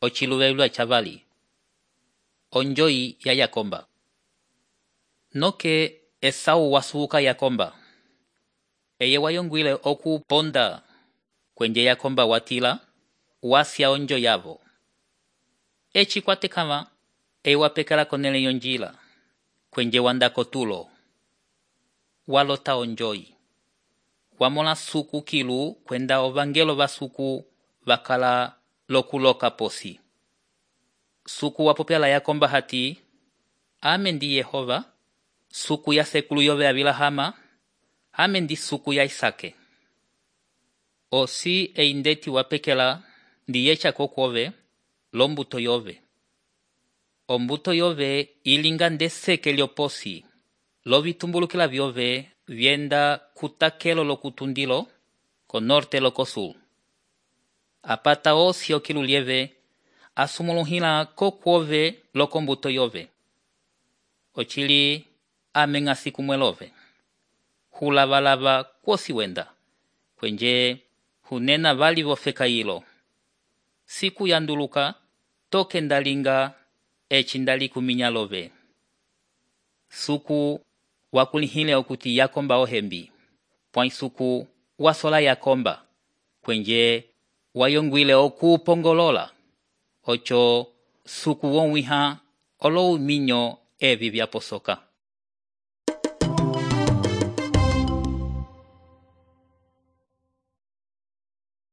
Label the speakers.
Speaker 1: ociluvevlwa chavali. Onjoyi ya Yakomba. Noke Esau wasuka Yakomba. Eye wayongwile okuponda kwenye Yakomba watila, wasya onjo yavo. Echi kwatekama, wapekala konele yonjila, kwenye wandako tulo. Walota onjoyi. Wamola suku kilu kwenda ovangelo vasuku vakala lokuloka posi. Suku wapopela Yakomba hati, amendi Yehova, suku ya sekulu yove avilahama, amendi suku ya Isake. Osi eindeti wapekela ndiyecha kokwove, lombuto yove. Ombuto yove ilinga ndeseke lioposi, lovitumbulukila vyove vyenda kutakelo lokutundilo, ko norte lokosul. Apata osi okilu lieve, asumuluhila kokwove lokombuto yove. Ochili amengasi kumwelove. Hulavalava kwosi wenda, kwenye hunena vali vofeka ilo. Siku yanduluka, toke ndalinga, echindali kuminyalove. Suku wakulihile okuti Yakomba ohembi. Pwai suku wasola Yakomba, kwenye wayongwile okupongolola. Ocho suku wonwiha olo minyo evi vyaposoka.